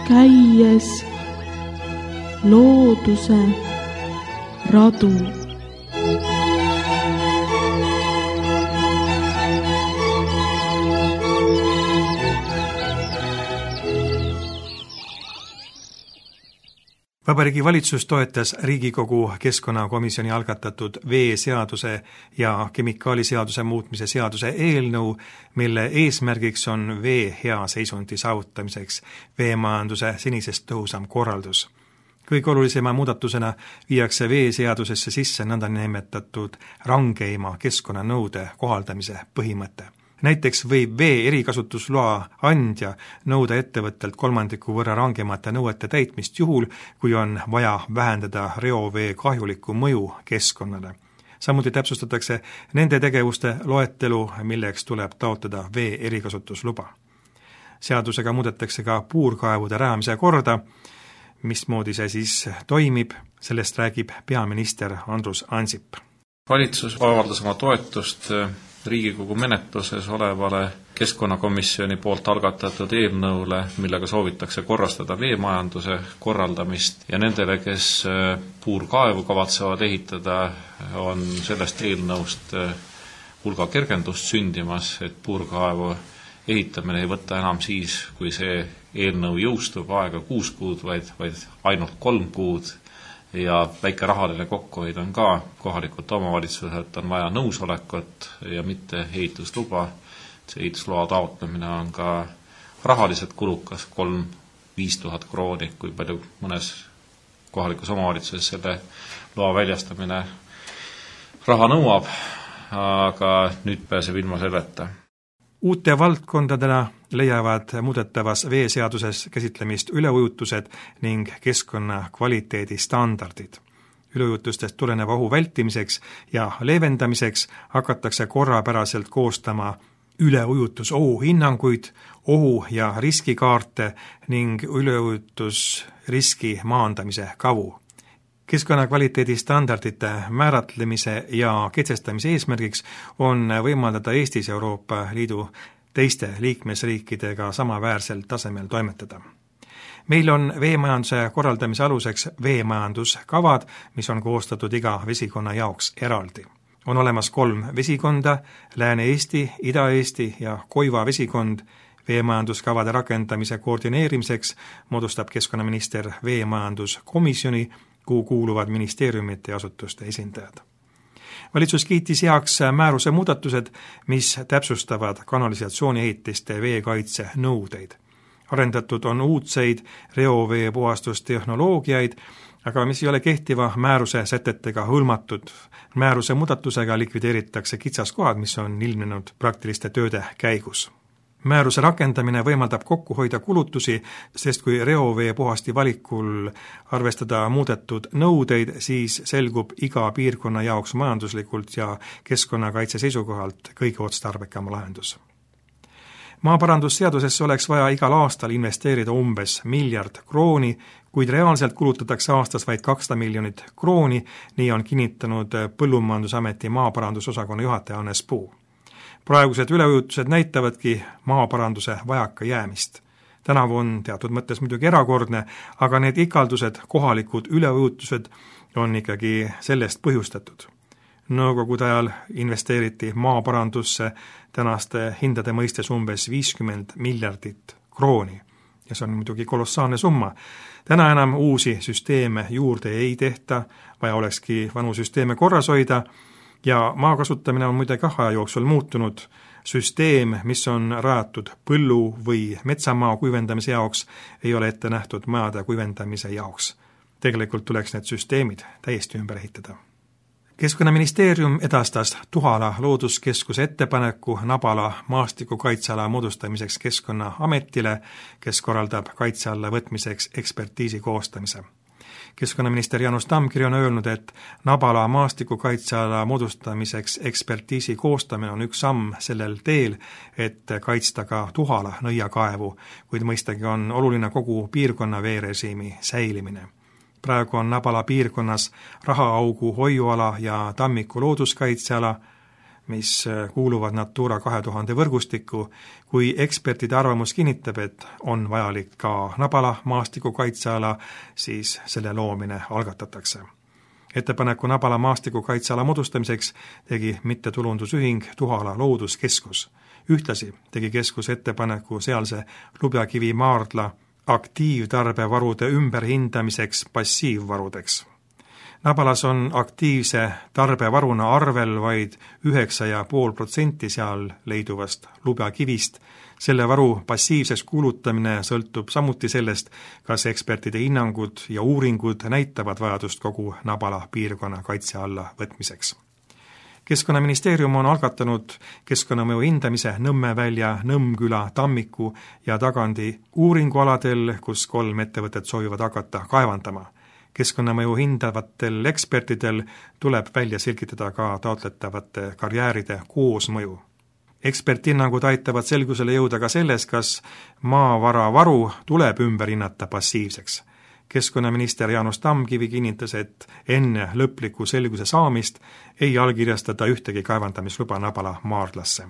käies looduse radu. Vabariigi Valitsus toetas Riigikogu keskkonnakomisjoni algatatud veeseaduse ja kemikaaliseaduse muutmise seaduse eelnõu, mille eesmärgiks on vee hea seisundi saavutamiseks veemajanduse senisest tõhusam korraldus. Kõige olulisema muudatusena viiakse veeseadusesse sisse nõndanimetatud rangeima keskkonnanõude kohaldamise põhimõte. Näiteks võib vee erikasutusloa andja nõuda ettevõttelt 1/3 võrra rangemate nõuete täitmist juhul, kui on vaja vähendada reovee kahjulikku mõju keskkonnale. Samuti täpsustatakse nende tegevuste loetelu, milleks tuleb taotleda vee erikasutusluba. Seadusega muudetakse ka puurkaevude rajamise korda. Mismoodi see siis toimib, sellest räägib peaminister Andrus Ansip. Valitsus avaldas oma toetust Riigikogu menetluses olevale keskkonnakomisjoni poolt algatatud eelnõule, millega soovitakse korrastada veemajanduse korraldamist ja nendele, kes puurkaevu kavatsevad ehitada, on sellest eelnõust hulga kergendust sündimas, et puurkaevu ehitamine ei võta enam siis, kui see eelnõu jõustub, aega 6 kuud, vaid ainult 3 kuud. Ja väike rahaline kokkuhoid on ka kohalikult omavalitsuselt on vaja nõusolekut ja mitte ehitusluba. See ehitusloa taotlemine on ka rahaliselt kulukas, 3-5 tuhat krooni, kui palju mõnes kohalikus omavalitsuses selle loa väljastamine raha nõuab, aga nüüd pääseb ilma selleta. Uute valdkondadena leiavad muudetavas veeseaduses käsitlemist üleujutused ning keskkonna kvaliteedi standardid. Üleujutustest tuleneva ohu vältimiseks ja leevendamiseks hakatakse korrapäraselt koostama üleujutusohu hinnanguid, ohu- ja riskikaarte ning üleujutusriski maandamise kavu. Keskkonnakvaliteedi standardite määratlemise ja kehtestamise eesmärgiks on võimaldada Eestis Euroopa Liidu teiste liikmesriikidega samaväärsel tasemel toimetada. Meil on veemajanduse korraldamise aluseks veemajanduskavad, mis on koostatud iga vesikonna jaoks eraldi. On olemas 3 vesikonda, Lääne-Eesti, Ida-Eesti ja Koiva vesikond. Veemajanduskavade rakendamise koordineerimiseks moodustab keskkonnaminister veemajanduskomisjoni, kuhu kuuluvad ministeeriumite ja asutuste esindajad. Valitsus kiitis heaks määruse muudatused, mis täpsustavad kanalisatsiooniehitiste veekaitse nõudeid. Arendatud on uudseid reovee puhastustehnoloogiaid, aga mis ei ole kehtiva määruse sätetega hõlmatud. Määruse muudatusega likvideeritakse kitsaskohad, mis on ilmnenud praktiliste tööde käigus. Määruse rakendamine võimaldab kokku hoida kulutusi, sest kui reovee puhasti valikul arvestada muudetud nõudeid, siis selgub iga piirkonna jaoks majanduslikult ja keskkonnakaitse seisukohalt kõige otstarbekam lahendus. Maaparandusseadusesse oleks vaja igal aastal investeerida umbes 1 miljard krooni, kuid reaalselt kulutatakse aastas vaid 200 miljonit krooni, nii on kinnitanud Põllumajandusameti maaparandusosakonna juhataja Hannes Puu. Praegused üleujutused näitavadki maaparanduse vajaka jäämist. Tänavu on teatud mõttes muidugi erakordne, aga need ikaldused, kohalikud üleujutused on ikkagi sellest põhjustatud. Nõukogude ajal investeeriti maaparandusse tänaste hindade mõistes umbes 50 miljardit krooni ja see on muidugi kolossaalne summa. Täna enam uusi süsteeme juurde ei tehta, vaja olekski vanu süsteeme korras hoida. Ja maa kasutamine on muide aja jooksul muutunud. Süsteem, mis on rajatud põllu- või metsamaa kuivendamise jaoks, ei ole ette nähtud majade kuivendamise jaoks. Tegelikult tuleks need süsteemid täiesti ümber ehitada. Keskkonnaministeerium edastas Tuhala looduskeskuse ettepaneku Nabala maastikukaitseala moodustamiseks Keskkonnaametile, kes korraldab kaitse alla võtmiseks ekspertiisi koostamise. Keskkonnaminister Jaanus Tamkiri on öelnud, et Nabala maastikukaitseala moodustamiseks ekspertiisi koostamine on üks samm sellel teel, et kaitsta ka Tuhala nõiakaevu, kuid mõistagi on oluline kogu piirkonna veerežiimi säilimine. Praegu on Nabala piirkonnas Rahaaugu hoiuala ja Tammiku looduskaitseala, mis kuuluvad Natura 2000 võrgustikku, kui ekspertide arvamus kinnitab, et on vajalik ka Nabala maastikukaitseala, siis selle loomine algatatakse. Ettepaneku Nabala maastikukaitseala moodustamiseks tegi mittetulundusühing Tuhala Looduskeskus. Ühtlasi tegi keskus ettepaneku sealse Lubjakivi maardla aktiivtarbevarude ümberhindamiseks passiivvarudeks. Nabalas on aktiivse tarbevaruna arvel vaid 9,5% seal leiduvast lubjakivist. Selle varu passiivseks kuulutamine sõltub samuti sellest, kas ekspertide hinnangud ja uuringud näitavad vajadust kogu Nabala piirkonna kaitse alla võtmiseks. Keskkonnaministeerium on algatanud keskkonnamõju hindamise Nõmmevälja, Nõmmküla, Tammiku ja Tagandi uuringualadel, kus 3 ettevõtet soovivad hakata kaevandama. Keskkonnamõju hindavatel ekspertidel tuleb välja selgitada ka taotletavate karjääride koosmõju. Eksperthinnangud aitavad selgusele jõuda ka selles, kas maavara varu tuleb ümber hinnata passiivseks. Keskkonnaminister Jaanus Tamkivi kinnitas, et enne lõpliku selguse saamist ei allkirjastada ühtegi kaevandamisluba Nabala maardlasse.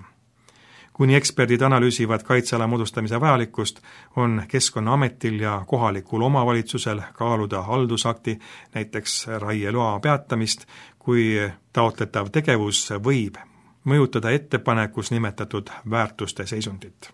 Kuni eksperdid analüüsivad kaitseala moodustamise vajalikkust, on Keskkonnaametil ja kohalikul omavalitsusel kaaluda haldusakti, näiteks raieloa peatamist, kui taotletav tegevus võib mõjutada ettepanekus nimetatud väärtuste seisundit.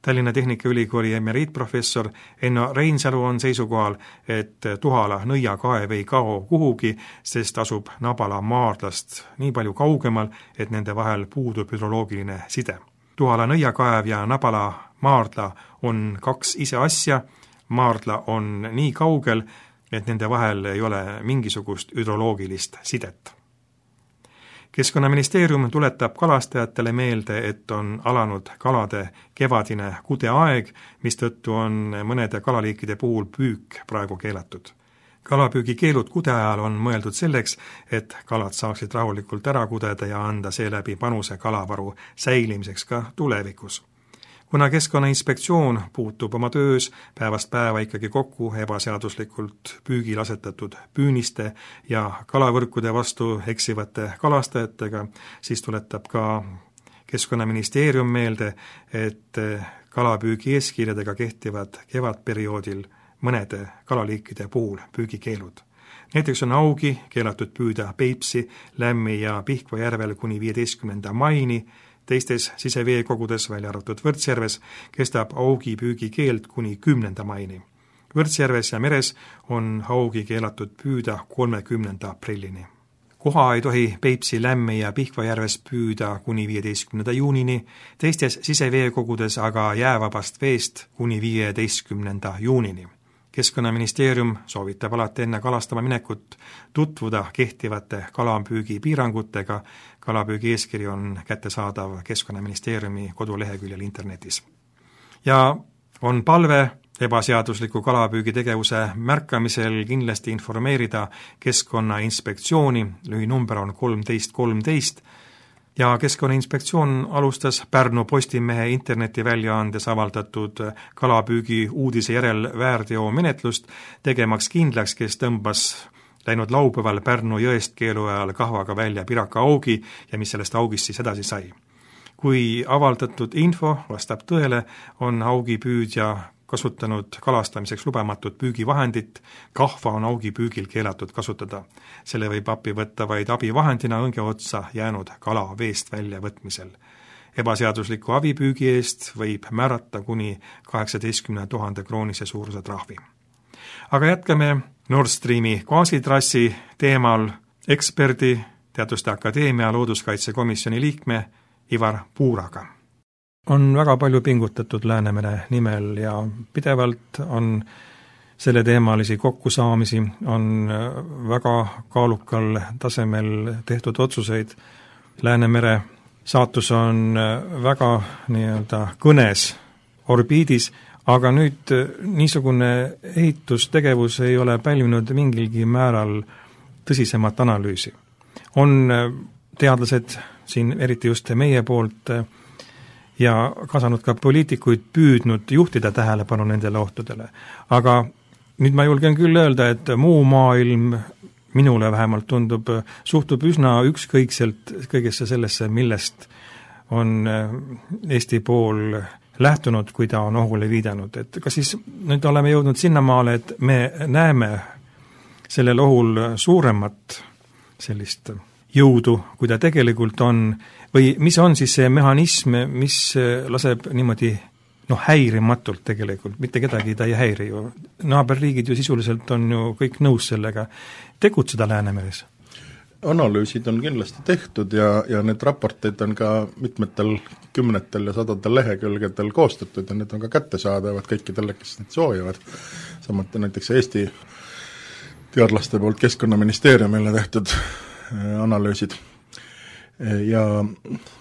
Tallinna Tehnikaülikooli emeriitprofessor Enno Reinsalu on seisukohal, et Tuhala nõiakaev ei kao kuhugi, sest asub Nabala maardlast nii palju kaugemal, et nende vahel puudub hüdroloogiline side. Tuhala nõiakaev ja Nabala maardla on 2 ise asja, maardla on nii kaugel, et nende vahel ei ole mingisugust hüdroloogilist sidet. Keskkonnaministeerium tuletab kalastajatele meelde, et on alanud kalade kevadine kudeaeg, mistõttu on mõnede kalaliikide puhul püük praegu keelatud. Kalapüügikeelud kudeajal on mõeldud selleks, et kalad saaksid rahulikult ära kudeda ja anda seeläbi panuse kalavaru säilimiseks ka tulevikus. Kuna Keskkonnainspektsioon puutub oma töös päevast päeva ikkagi kokku ebaseaduslikult püügil asetatud püüniste ja kalavõrkude vastu eksivate kalastajatega, siis tuletab ka Keskkonnaministeerium meelde, et kalapüügi eeskirjadega kehtivad kevadperioodil mõnede kalaliikide puhul püügikeelud. Näiteks on augi keelatud püüda Peipsi, Lämmi ja Pihkva järvel kuni 15. maini, teistes siseveekogudes, välja arvatud Võrtsjärves, kestab augi püügikeeld kuni 10. maini. Võrtsjärves ja meres on augi keelatud püüda 30. aprillini. Koha ei tohi Peipsi, Lämmi ja Pihkva järves püüda kuni 15. juunini, teistes siseveekogudes aga jäävabast veest kuni 15. juunini. Keskkonnaministeerium soovitab alati enne kalastama minekut tutvuda kehtivate kalapüügi piirangutega. Kalapüügi eeskiri on kättesaadav Keskkonnaministeeriumi koduleheküljel internetis. Ja on palve ebaseadusliku kalapüügi tegevuse märkamisel kindlasti informeerida Keskkonnainspektsiooni, lühinumber on 1313, ja Keskkonnainspektsioon alustas Pärnu Postimehe internetiväljaandes avaldatud kalapüügi uudise järel väärteomenetlust, tegemaks kindlaks, kes tõmbas läinud laupäeval Pärnu jõest keelu ajal kahvaga välja piraka augi ja mis sellest augist siis edasi sai. Kui avaldatud info vastab tõele, on augipüüdja kasutanud kalastamiseks lubamatut püügivahendit, kahva on augipüügil keelatud kasutada. Selle võib appi võtta vaid abivahendina õnge otsa jäänud kala veest välja võtmisel. Ebaseadusliku abipüügi eest võib määrata kuni 18 000 kroonise suuruse trahvi. Aga jätkame Nord Streami gaasitrassi teemal eksperdi, Teaduste Akadeemia looduskaitsekomisjoni liikme Ivar Puuraga. On väga palju pingutatud Läänemere nimel ja pidevalt on selle teemalisi kokkusaamisi, on väga kaalukal tasemel tehtud otsuseid. Läänemere saatus on väga kõnes orbiidis, aga nüüd niisugune ehitustegevus ei ole pälvinud mingilgi määral tõsisemat analüüsi. On teadlased siin, eriti just meie poolt, ja kaasanud ka poliitikuid püüdnud juhtida tähelepanu nendele ohtudele. Aga nüüd ma julgen küll öelda, et muu maailm minule vähemalt tundub, suhtub üsna ükskõikselt kõigesse sellesse, millest on Eesti pool lähtunud, kui ta on ohule viidanud. Et kas siis nüüd oleme jõudnud sinnamaale, et me näeme sellel ohul suuremat sellist jõudu, kui ta tegelikult on, või mis on siis see mehhanism, mis laseb niimoodi häirimatult tegelikult, mitte kedagi ta ei häiri ju. Naaberriigid ju sisuliselt on ju kõik nõus sellega tegutseda Läänemeres. Analüüsid on kindlasti tehtud ja need raporteid on ka mitmetel kümnetel ja sadadel lehekülgedel koostatud ja need on ka kättesaadavad kõikidele, kes neid soovivad. Samuti näiteks Eesti teadlaste poolt Keskkonnaministeeriumile tehtud analüüsid ja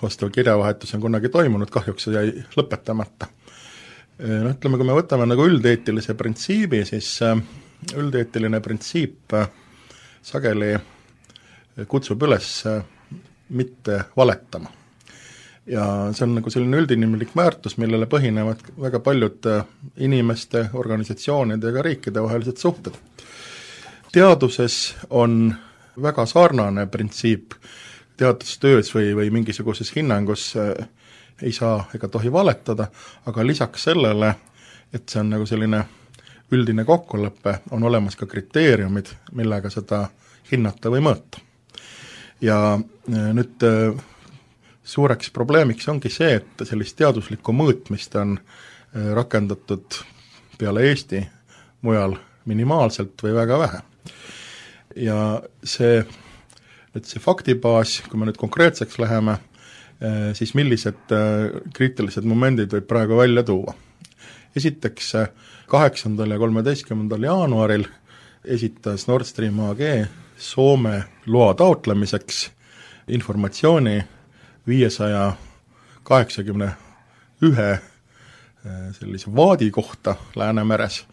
vastav kirjavahetus on kunagi toimunud, kahjuks see jäi lõpetamata. Ütleme, kui me võtame nagu üldeetilise printsiibi, siis üldeetiline printsiip sageli kutsub üles mitte valetama. Ja see on nagu selline üldinimlik väärtus, millele põhinevad väga paljud inimeste, organisatsioonide ja ka riikide vahelised suhted. Teaduses on väga sarnane printsiip, teadustöös või mingisuguses hinnangus ei saa ega tohi valetada, aga lisaks sellele, et see on nagu selline üldine kokkulepe, on olemas ka kriteeriumid, millega seda hinnata või mõõta. Ja nüüd suureks probleemiks ongi see, et sellist teaduslikku mõõtmist on rakendatud peale Eesti mujal minimaalselt või väga vähe. Ja see faktibaas, kui me nüüd konkreetseks läheme, siis millised kriitilised momendid võib praegu välja tuua. Esiteks 8. ja 13. jaanuaril esitas Nord Stream AG Soome loa taotlemiseks informatsiooni 581 sellise vaadi kohta Läänemeres,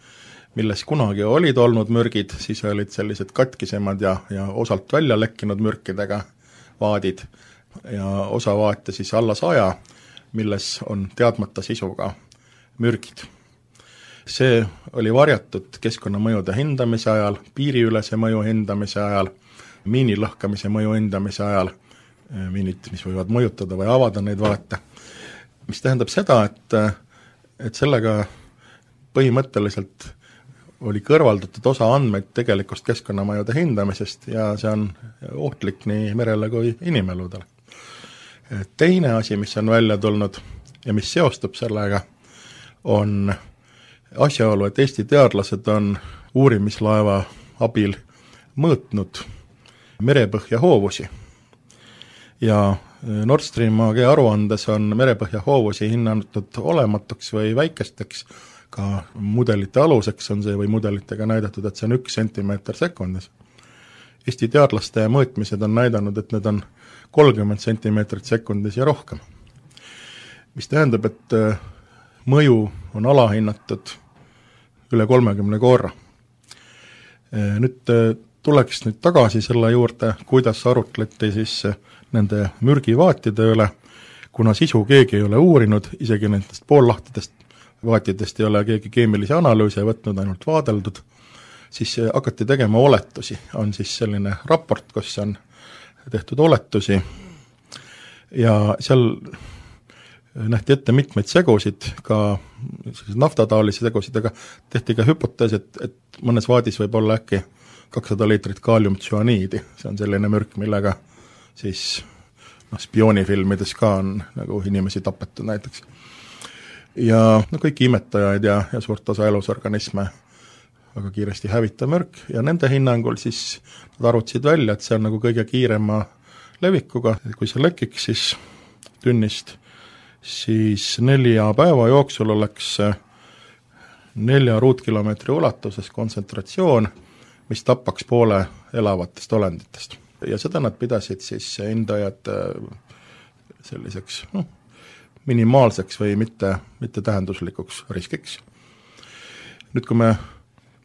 milles kunagi olid olnud mürgid, siis olid sellised katkisemad ja osalt välja lekkinud mürkidega vaadid ja osa vaate siis alla 100, milles on teadmata sisuga mürgid. See oli varjatud keskkonnamõjude hindamise ajal, piiriülese mõju hindamise ajal, miinilõhkamise mõju hindamise ajal, miinid, mis võivad mõjutada või avada neid vaate, mis tähendab seda, et sellega põhimõtteliselt oli kõrvaldatud osa andmeid tegelikust keskkonnamõjude hindamisest ja see on ohtlik nii merele kui inimeludele. Teine asi, mis on välja tulnud ja mis seostub sellega, on asjaolu, et Eesti teadlased on uurimislaeva abil mõõtnud merepõhja hoovusi. Ja Nord Stream AG aruandes on merepõhja hoovusi hinnatud olematuks või väikesteks, ka mudelite aluseks on see või mudelitega näidatud, et see on 1 sentimeeter sekundis. Eesti teadlaste mõõtmised on näidanud, et need on 30 sentimeetrit sekundis ja rohkem. Mis tähendab, et mõju on alahinnatud üle 30 korra. Nüüd tuleks nüüd tagasi selle juurde, kuidas arutleti siis nende mürgivaatide üle, kuna sisu keegi ei ole uurinud, isegi nendest poollahtidest vaatidest ei ole keegi keemilisi analüüse võtnud, ainult vaadeldud, siis hakati tegema oletusi. On siis selline raport, kus on tehtud oletusi ja seal nähti ette mitmeid segusid, ka naftataolisi segusid, aga tehti ka hüpotees, et mõnes vaadis võib olla äkki 200 liitrit kaaliumtsüaniidi, see on selline mürk, millega siis spioonifilmides ka on nagu inimesi tapetud näiteks. Ja kõiki imetajaid ja suurt osa elusorganisme väga kiiresti hävitav mürk ja nende hinnangul siis nad arvutasid välja, et see on nagu kõige kiirema levikuga, kui see lekiks siis tünnist, siis 4 päeva jooksul oleks 4 ruutkilomeetri ulatuses kontsentratsioon, mis tapaks poole elavatest olenditest. Ja seda nad pidasid siis hindajad selliseks minimaalseks või mitte tähenduslikuks riskiks. Nüüd kui me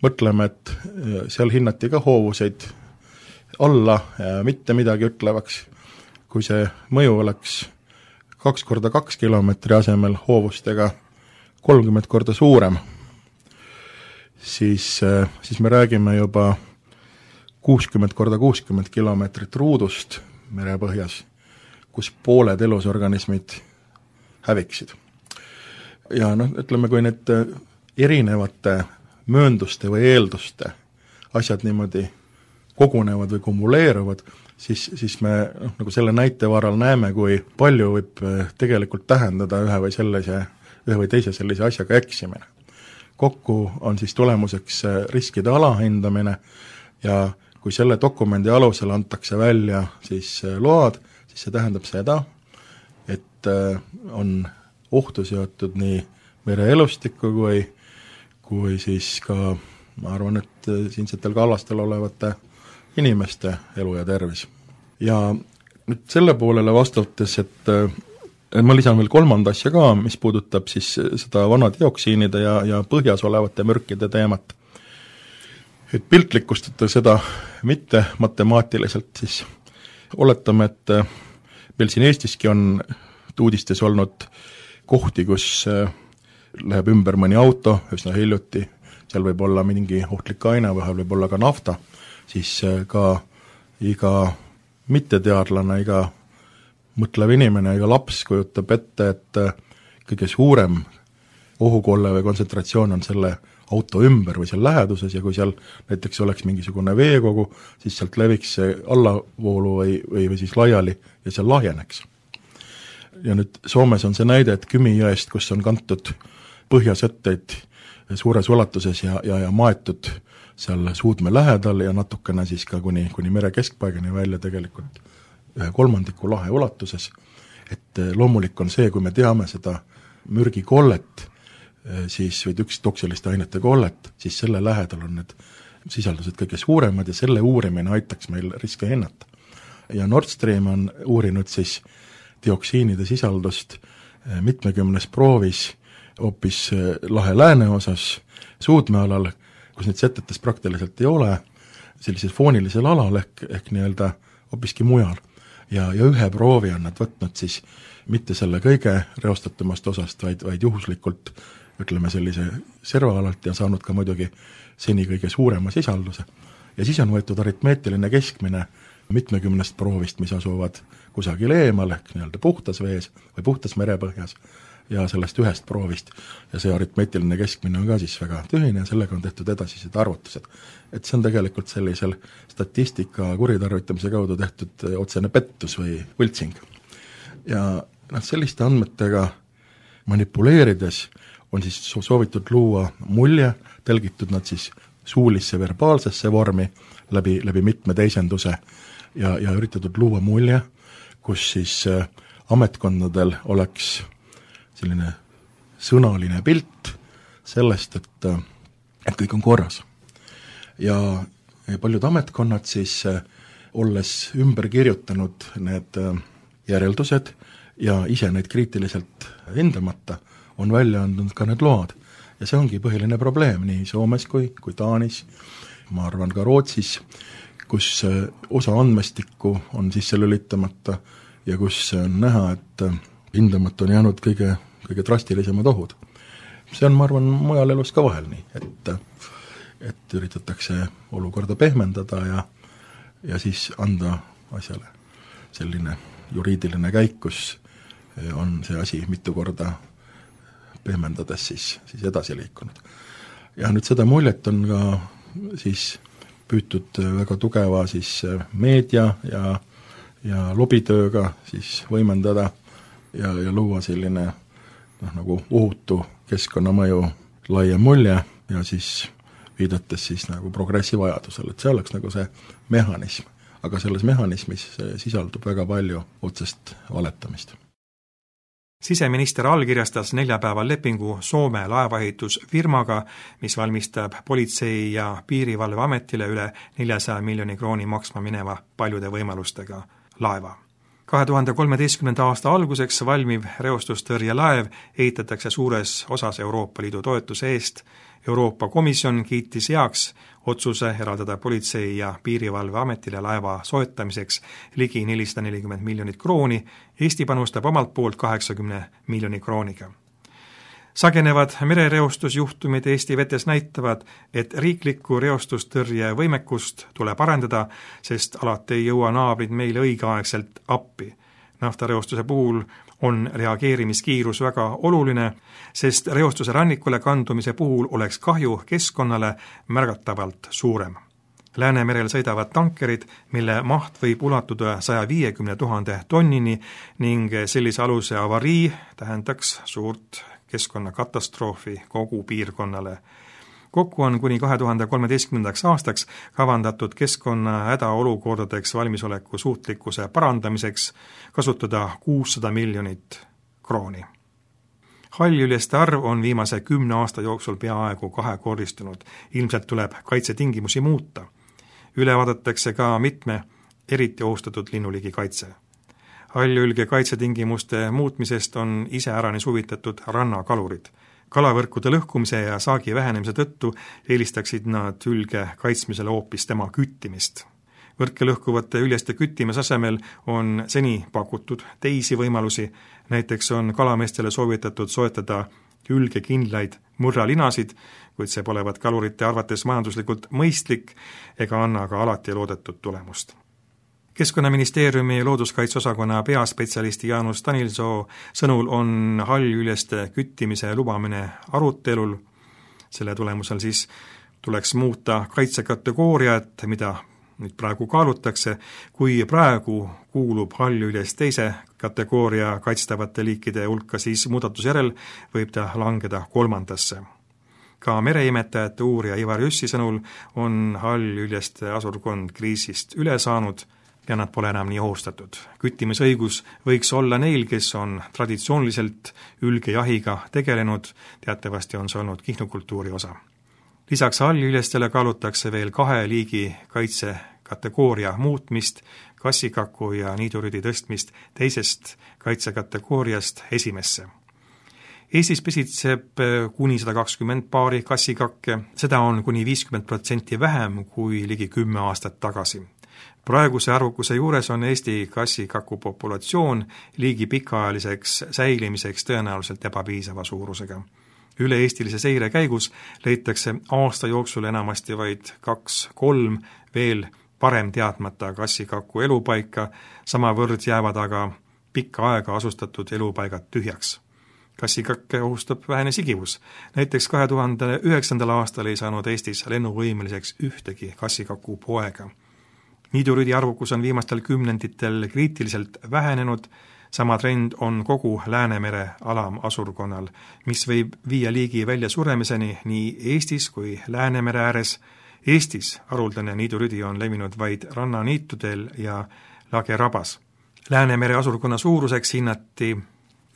mõtleme, et seal hinnati ka hoovuseid alla mitte midagi ütlevaks, kui see mõju oleks 2x2 kilomeetri asemel hoovustega 30 korda suurem, siis me räägime juba 60 × 60 ruudust merepõhjas, kus pooled elusorganismid häviksid. Ja ütleme, kui need erinevate möönduste või eelduste asjad niimoodi kogunevad või kumuleeruvad, siis me nagu selle näite varal näeme, kui palju võib tegelikult tähendada ühe või teise sellise asjaga eksimine. Kokku on siis tulemuseks riskide alahindamine ja kui selle dokumendi alusel antakse välja siis load, siis see tähendab seda, et on ohtu seotud nii mereelustikku kui siis ka, ma arvan, et siinsetel kallastel olevate inimeste elu ja tervis. Ja nüüd selle poolele vastates, et ma lisan veel kolmanda asja ka, mis puudutab siis seda vanadioksiinide ja põhjas olevate mürkide teemat. Et piltlikustada seda mitte matemaatiliselt, siis oletame, et meil siin Eestiski on uudistes olnud kohti, kus läheb ümber mõni auto üsna hiljuti, seal võib olla mingi ohtlik aine, vahel võib olla ka nafta, siis ka iga mitteteadlane, iga mõtlev inimene, iga laps kujutab ette, et kõige suurem ohukolle või kontsentratsioon on selle auto ümber või seal läheduses ja kui seal näiteks oleks mingisugune veekogu, siis sealt leviks see allavoolu või siis laiali ja seal lahjeneks. Ja nüüd Soomes on see näide, et Kymi jõest, kus on kantud põhjasetteid suures ulatuses ja maetud seal suudme lähedal ja natukene siis ka kuni mere keskpaigani välja tegelikult 1/3 lahe ulatuses, et loomulik on see, kui me teame seda mürgikollet, siis või toksiliste ainete kollet, siis selle lähedal on need sisaldused kõige suuremad ja selle uurimine aitaks meil riske hinnata. Ja Nord Stream on uurinud siis dioksiinide sisaldust mitmekümnes proovis hoopis lahe lääneosas suudmealal, kus neid setetes praktiliselt ei ole, sellisel foonilisel alal ehk nii-öelda hoopiski mujal. Ja ühe proovi on nad võtnud siis mitte selle kõige reostatumast osast, vaid juhuslikult ütleme sellise servaalalt ja saanud ka muidugi seni kõige suurema sisalduse. Ja siis on võetud aritmeetiline keskmine mitmekümnest proovist, mis asuvad kusagil eemal ehk nii-öelda puhtas vees või puhtas merepõhjas ja sellest ühest proovist. Ja see aritmeetiline keskmine on ka siis väga tühine ja sellega on tehtud edasised arvutused. Et see on tegelikult sellisel statistika kuritarvitamise kaudu tehtud otsene pettus või võltsing. Ja selliste andmetega manipuleerides on siis soovitud luua mulje, telgitud nad siis suulisse verbaalsesse vormi läbi mitme teisenduse ja üritatud luua mulje, kus siis ametkondadel oleks selline sõnaline pilt sellest, et kõik on korras. Ja paljud ametkonnad siis, olles ümber kirjutanud need järeldused ja ise neid kriitiliselt hindamata, on välja andnud ka need load. Ja see ongi põhiline probleem nii Soomes kui Taanis, ma arvan ka Rootsis, kus osa andmestikku on sisse lülitamata ja kus on näha, et hindamata on jäänud kõige drastilisemad ohud. See on, ma arvan, mujal elus ka vahel nii, et üritatakse olukorda pehmendada ja siis anda asjale selline juriidiline käik, kus on see asi mitu korda pehmendades siis edasi liikunud. Ja nüüd seda muljet on ka siis püütud väga tugeva siis meedia ja lobitööga siis võimendada ja luua selline nagu ohutu keskkonnamõju laiem mulje ja siis viidates siis nagu progressi vajadusel, et see oleks nagu see mehhanism. Aga selles mehhanismis sisaldub väga palju otsest valetamist. Siseminister allkirjastas neljapäeval lepingu Soome laevaehitusfirmaga, mis valmistab politsei- ja piirivalveametile üle 400 miljoni krooni maksma mineva paljude võimalustega laeva. 2013. aasta alguseks valmiv reostustõrjelaev ehitatakse suures osas Euroopa Liidu toetuse eest. Euroopa Komisjon kiitis heaks otsuse eraldada politsei- ja piirivalveametile laeva soetamiseks ligi 440 miljonit krooni, Eesti panustab omalt poolt 80 miljoni krooniga. Sagenevad merereostusjuhtumid Eesti vetes näitavad, et riiklikku reostustõrje võimekust tuleb arendada, sest alati ei jõua naabrid meile õigeaegselt appi. Naftareostuse puhul on reageerimiskiirus väga oluline, sest reostuse rannikule kandumise puhul oleks kahju keskkonnale märgatavalt suurem. Läänemerel sõidavad tankerid, mille maht võib ulatuda 150 000 tonnini ning sellise aluse avarii tähendaks suurt keskkonnakatastroofi kogu piirkonnale. Kokku on kuni 2013. aastaks kavandatud keskkonna hädaolukordadeks valmisoleku suutlikkuse parandamiseks kasutada 600 miljonit krooni. Hallüljeste arv on viimase 10 aasta jooksul peaaegu kahekordistunud. Ilmselt tuleb kaitsetingimusi muuta. Üle vaadatakse ka mitme eriti ohustatud linnuligi kaitse. Hallülge kaitsetingimuste muutmisest on iseäranis huvitatud rannakalurid. Kalavõrkude lõhkumise ja saagi vähenemise tõttu eelistaksid nad hülge kaitsmisele hoopis tema küttimist. Võrke lõhkuvate üljeste küttimise asemel on seni pakutud teisi võimalusi, näiteks on kalameestele soovitatud soetada hülgekindlaid murralinasid, kuid see polevat kalurite arvates majanduslikult mõistlik ega anna ka alati loodetud tulemust. Keskkonnaministeeriumi looduskaitseosakonna peaspetsialisti Jaanus Danilsoo sõnul on hallüljeste küttimise lubamine arutelul. Selle tulemusel siis tuleks muuta kaitsekategooriat, mida nüüd praegu kaalutakse. Kui praegu kuulub hallüljest teise kategooria kaitstavate liikide hulka, siis muudatuse järel võib ta langeda 3. Ka mereimetajate uurija Ivar Jüssi sõnul on hallüljeste asurkond kriisist üle saanud ja nad pole enam nii ohustatud. Küttimisõigus võiks olla neil, kes on traditsiooniliselt ülgejahiga tegelenud, teatavasti on see olnud kihnukultuuri osa. Lisaks hallüljestele kaalutakse veel 2 liigi kaitsekategooria muutmist, kassikaku ja niidurüdi tõstmist teisest kaitsekategooriast esimesse. Eestis pesitseb kuni 120 paari kassikakke, seda on kuni 50% vähem kui ligi 10 aastat tagasi. Praeguse arvukuse juures on Eesti kassikaku populatsioon liigi pikaajaliseks säilimiseks tõenäoliselt ebapiisava suurusega. Üle-eestilise seire käigus leitakse aasta jooksul enamasti vaid 2-3 veel parem teadmata kassikaku elupaika, samavõrd jäävad aga pikka aega asustatud elupaigad tühjaks. Kassikakke ohustab vähene sigivus. Näiteks 2009. aastal ei saanud Eestis lennuvõimeliseks ühtegi kassikaku poega. Niidurüdi arvukus on viimastel kümnenditel kriitiliselt vähenenud, sama trend on kogu Läänemere alamasurkonnal, mis võib viia liigi välja suremiseni nii Eestis kui Läänemere ääres. Eestis haruldane niidurüdi on levinud vaid rannaniitudel ja lagerabas. Läänemere asurkonna suuruseks hinnati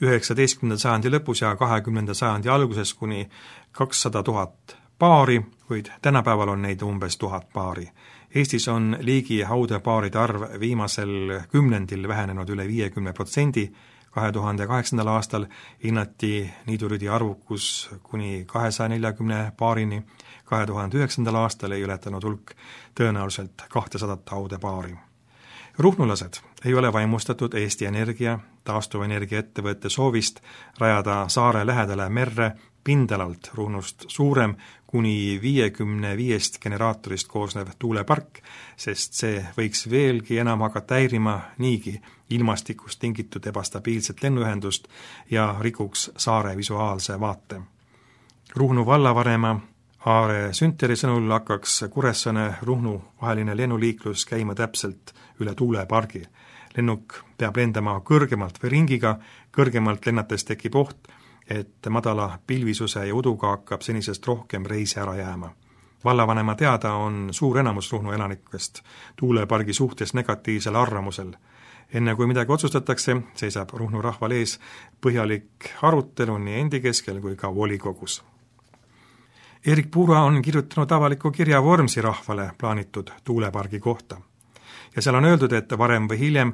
19. sajandi lõpus ja 20. sajandi alguses kuni 200 000 paari, kuid tänapäeval on neid umbes 1000 paari. Eestis on liigi haudepaaride arv viimasel kümnendil vähenenud üle 50%, 2008. aastal hinnati niidurüdi arvukus kuni 240 paarini, 2009. aastal ei ületanud hulk tõenäoliselt 200 haudepaari. Ruhnulased ei ole vaimustatud Eesti Energia, taastuvenergia ettevõtte soovist rajada saare lähedale merre pindalalt Ruhnust suurem kuni 55 generaatorist koosnev tuulepark, sest see võiks veelgi enam hakata häirima niigi ilmastikust tingitud ebastabiilset lennuühendust ja rikuks saare visuaalse vaate. Ruhnu vallavanema Aare Sünteri sõnul hakkaks Kuressaare-Ruhnu vaheline lennuliiklus käima täpselt üle tuulepargi. Lennuk peab lendama kõrgemalt või ringiga, kõrgemalt lennates tekib oht, et madala pilvisuse ja uduga hakkab senisest rohkem reisi ära jääma. Vallavanema teada on suur enamus Ruhnu elanikest tuulepargi suhtes negatiivsel arvamusel. Enne kui midagi otsustatakse, seisab Ruhnu rahval ees põhjalik arutelu nii endi keskel kui ka volikogus. Erik Puura on kirjutanud avaliku kirja Vormsi rahvale plaanitud tuulepargi kohta. Ja seal on öeldud, et varem või hiljem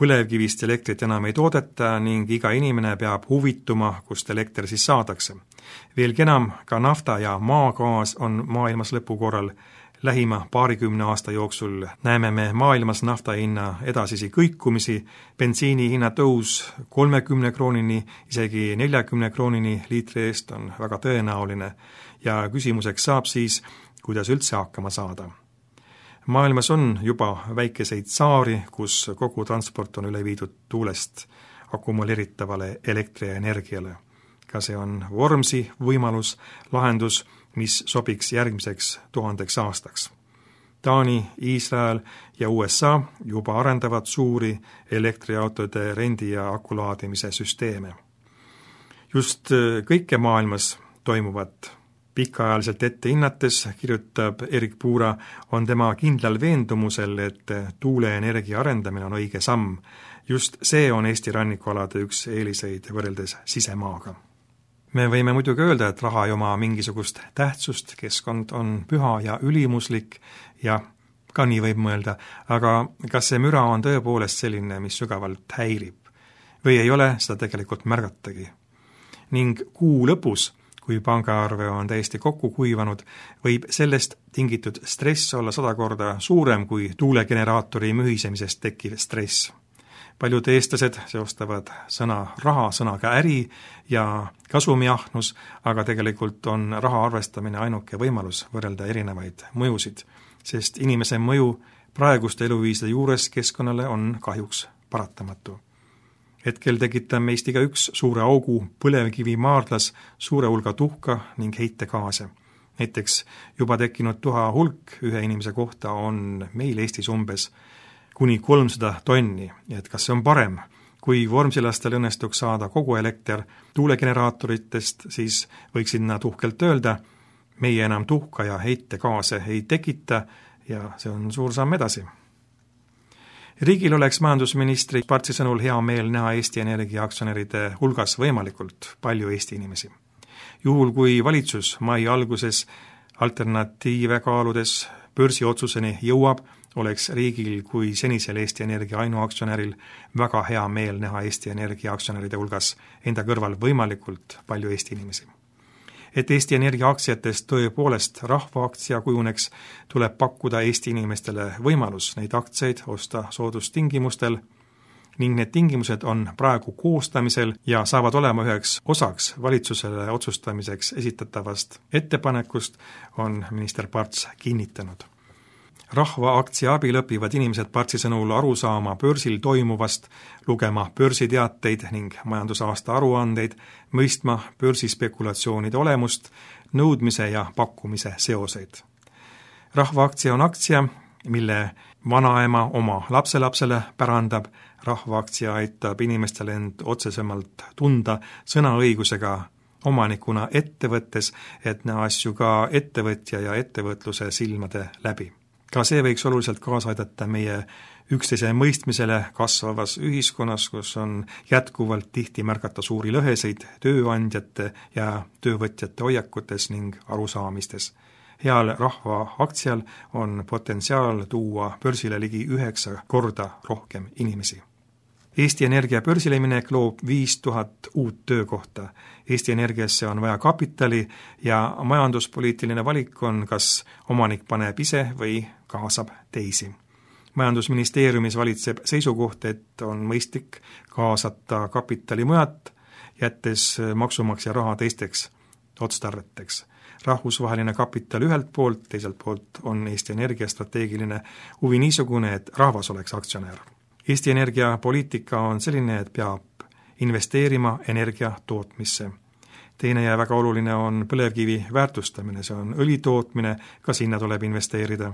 põlevkivist elektrit enam ei toodeta ning iga inimene peab huvituma, kust elekter siis saadakse. Veelgi enam, ka nafta ja maagaas on maailmas lõpu korral Lähima paarikümne aasta jooksul näeme me maailmas nafta hinna edasisi kõikumisi, bensiini hinna tõus 30 kroonini, isegi 40 kroonini liitri eest on väga tõenäoline ja küsimuseks saab siis, kuidas üldse hakkama saada. Maailmas on juba väikeseid saari, kus kogu transport on üle viidud tuulest akumuleeritavale elektrienergiale. Ka see on Vormsi võimalus, lahendus, mis sobiks järgmiseks 1000 aastaks. Taani, Iisrael ja USA juba arendavad suuri elektriautode rendi- ja akulaadimise süsteeme. Just kõike maailmas toimuvat pikaajaliselt ette hinnates, kirjutab Erik Puura, on tema kindlal veendumusel, et tuuleenergia arendamine on õige samm. Just see on Eesti rannikualade üks eeliseid võrreldes sisemaaga. Me võime muidugi öelda, et raha ei oma mingisugust tähtsust, keskkond on püha ja ülimuslik ja ka nii võib mõelda, aga kas see müra on tõepoolest selline, mis sügavalt häirib? Või ei ole seda tegelikult märgatagi? Ning kuu lõpus, kui pangaarve on täiesti kokku kuivanud, võib sellest tingitud stress olla 100 korda suurem kui tuulegeneraatori mühisemisest tekkiv stress. Paljud eestlased seostavad sõna raha sõnaga äri ja kasumiahnus, aga tegelikult on raha arvestamine ainuke võimalus võrrelda erinevaid mõjusid, sest inimese mõju praeguste eluviiside juures keskkonnale on kahjuks paratamatu. Hetkel tekitab meist igaüks suure augu põlevkivi maardlas suure hulga tuhka ning heitegaase. Näiteks juba tekkinud tuha hulk ühe inimese kohta on meil Eestis umbes kuni 300 tonni, et kas see on parem? Kui vormsilastel õnnestuks saada kogu elekter tuulegeneraatoritest, siis võiksid nad uhkelt öelda, meie enam tuhka ja heitegaase ei tekita ja see on suur samm edasi. Riigil oleks majandusministri Partsi sõnul hea meel näha Eesti Energia aktsionäride hulgas võimalikult palju Eesti inimesi. Juhul kui valitsus mai alguses alternatiive kaaludes börsiotsuseni jõuab, oleks riigil kui senisel Eesti Energia ainuaktsionäril väga hea meel näha Eesti Energia aktsionäride hulgas enda kõrval võimalikult palju Eesti inimesi. Et Eesti Energia aktsiatest tõepoolest rahvaaktsia kujuneks, tuleb pakkuda Eesti inimestele võimalus neid aktsiaid osta soodustingimustel ning need tingimused on praegu koostamisel ja saavad olema üheks osaks valitsusele otsustamiseks esitatavast ettepanekust, on minister Parts kinnitanud. Rahvaaktsia abil õpivad inimesed Partsi sõnul aru saama börsil toimuvast, lugema börsiteateid ning majandusaasta aruandeid, mõistma börsispekulatsioonide olemust, nõudmise ja pakkumise seoseid. Rahvaaktsia on aktsia, mille vanaema oma lapselapsele pärandab, rahvaaktsia aitab inimestele end otsesemalt tunda sõnaõigusega omanikuna ettevõttes, et näha asju ka ettevõtja ja ettevõtluse silmade läbi. Ka see võiks oluliselt kaasa aidata meie üksteise mõistmisele kasvavas ühiskonnas, kus on jätkuvalt tihti märgata suuri lõheseid tööandjate ja töövõtjate hoiakutes ning arusaamistes. Heal rahvaaktsial on potentsiaal tuua börsile ligi 9 korda rohkem inimesi. Eesti Energia börsile minek loob 5000 uut töökohta. Eesti Energiasse on vaja kapitali ja majanduspoliitiline valik on, kas omanik paneb ise või kaasab teisi. Majandusministeeriumis valitseb seisukoht, et on mõistlik kaasata kapitali mujalt, jättes maksumaksja raha teisteks otstarveteks. Rahvusvaheline kapital ühelt poolt, teiselt poolt on Eesti Energia strateegiline huvi niisugune, et rahvas oleks aktsionär. Eesti Energia poliitika on selline, et peab investeerima energia tootmisse. Teine ja väga oluline on põlevkivi väärtustamine, see on õli tootmine, ka sinna tuleb investeerida.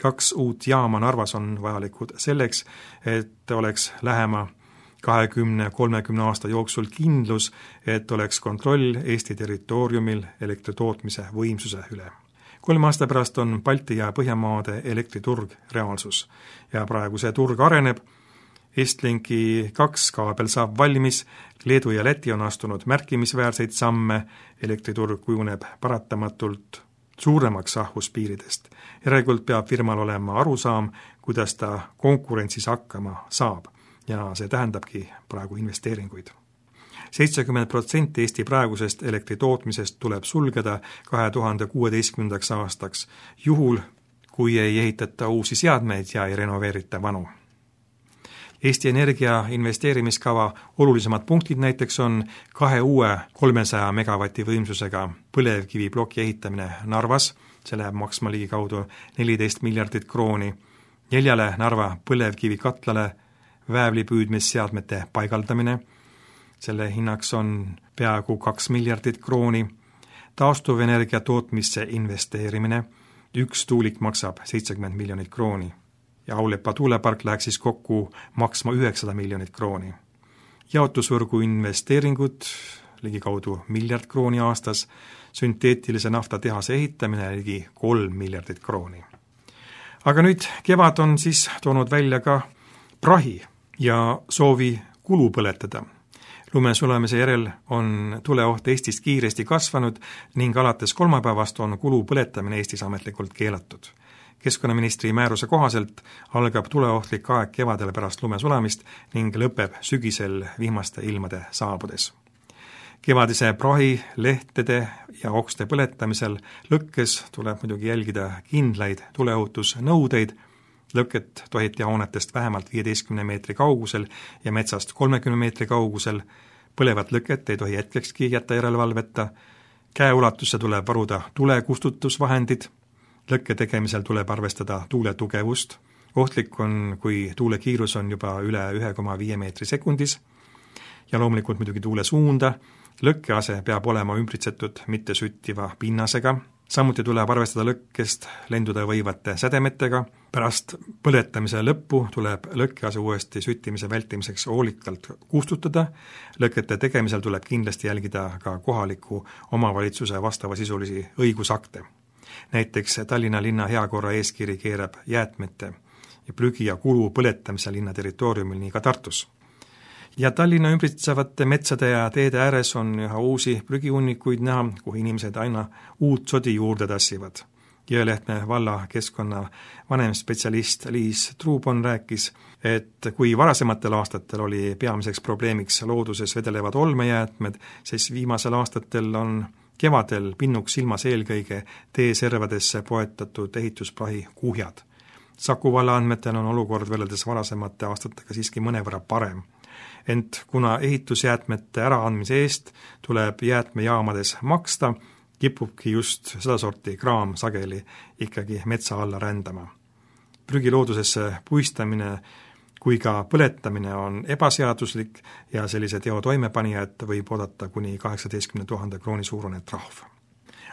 2 uut jaama Narvas on vajalikud selleks, et oleks lähema 20-30 aasta jooksul kindlus, et oleks kontroll Eesti territooriumil elektritootmise võimsuse üle. 3 aasta pärast on Balti ja Põhjamaade elektriturg reaalsus ja praegu see turg areneb. Estlinki 2 kaabel saab valmis, Leedu ja Läti on astunud märkimisväärseid samme, elektriturg kujuneb paratamatult suuremaks rahvuspiiridest. Järelikult peab firmal olema arusaam, kuidas ta konkurentsis hakkama saab ja see tähendabki praegu investeeringuid. 70% Eesti praegusest elektritootmisest tuleb sulgeda 2016. aastaks, juhul kui ei ehitata uusi seadmeid ja ei renoveerita vanu. Eesti Energia investeerimiskava olulisemad punktid näiteks on 2 uue 300 megavati võimsusega põlevkiviploki ehitamine Narvas, see läheb maksma ligikaudu 14 miljardit krooni, 4 Narva põlevkivikatlale väävlipüüdmisseadmete paigaldamine, selle hinnaks on peaaegu 2 miljardit krooni, taastuvenergia tootmisse investeerimine, 1 tuulik maksab 70 miljonit krooni ja Aulepa tuulepark läheks siis kokku maksma 900 miljonit krooni. Jaotusvõrgu investeeringud ligikaudu miljard krooni aastas, sünteetilise naftatehase ehitamine ligi 3 miljardit krooni. Aga nüüd kevad on siis toonud välja ka prahi ja soovi kulu põletada. Lumesulamise järel on tuleoht Eestis kiiresti kasvanud ning alates kolmapäevast on kulu põletamine Eestis ametlikult keelatud. Keskkonnaministri määruse kohaselt algab tuleohtlik aeg kevadel pärast lumesulamist ning lõpeb sügisel vihmaste ilmade saabudes. Kevadise prahi, lehtede ja okste põletamisel lõkkes tuleb muidugi jälgida kindlaid tuleohutusnõudeid. Lõket tohiti hoonetest vähemalt 15 meetri kaugusel ja metsast 30 meetri kaugusel. Põlevat lõket ei tohi hetkekski jätta järelevalveta. Käeulatusse tuleb varuda tulekustutusvahendid. Lõkke tegemisel tuleb arvestada tuule tugevust. Ohtlik on, kui tuule kiirus on juba üle 1,5 meetri sekundis. Ja loomulikult muidugi tuule suunda. Lõkkease peab olema ümbritsetud mitte süttiva pinnasega. Samuti tuleb arvestada lõkkest lenduda võivate sädemetega. Pärast põletamise lõppu tuleb lõkkease uuesti süttimise vältimiseks hoolikalt kustutada. Lõkete tegemisel tuleb kindlasti jälgida ka kohaliku omavalitsuse vastavasisulisi õigusakte. Näiteks Tallinna linna heakorra eeskiri keerab jäätmete ja prügi ja kulu põletamise linna territooriumil nii ka Tartus. Ja Tallinna ümbritsevate metsade ja teede ääres on üha uusi prügihunnikuid näha, kuhu inimesed aina uut sodi juurde tassivad. Jõelehtme valla keskkonna vanemspetsialist Liis Truubon rääkis, et kui varasematel aastatel oli peamiseks probleemiks looduses vedelevad olmejäätmed, siis viimasel aastatel on kevadel pinnuks silmas eelkõige teeservadesse poetatud ehitusprahi kuhjad. Saku valla andmetel on olukord võrreldes varasemate aastatega siiski mõnevõrra parem. Ent kuna ehitusjäätmete äraandmise eest tuleb jäätmejaamades maksta, kipubki just sedasorti kraam sageli ikkagi metsa alla rändama. Prügi loodusesse puistamine kui ka põletamine on ebaseaduslik ja sellise teo toimepanijad võib oodata kuni 18 000 krooni suurune trahv.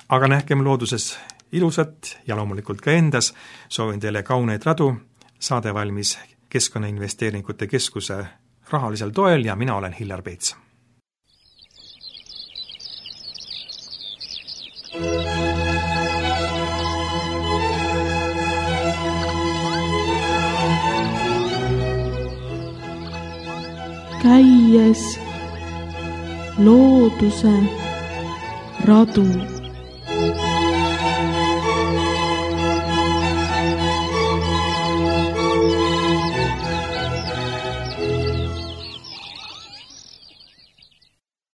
Aga nähkem looduses ilusat ja loomulikult ka endas, soovin teile kauneid radu, saade valmis Keskkonnainvesteeringute Keskuse rahalisel toel ja mina olen Hillar Peets. Käies looduse radu.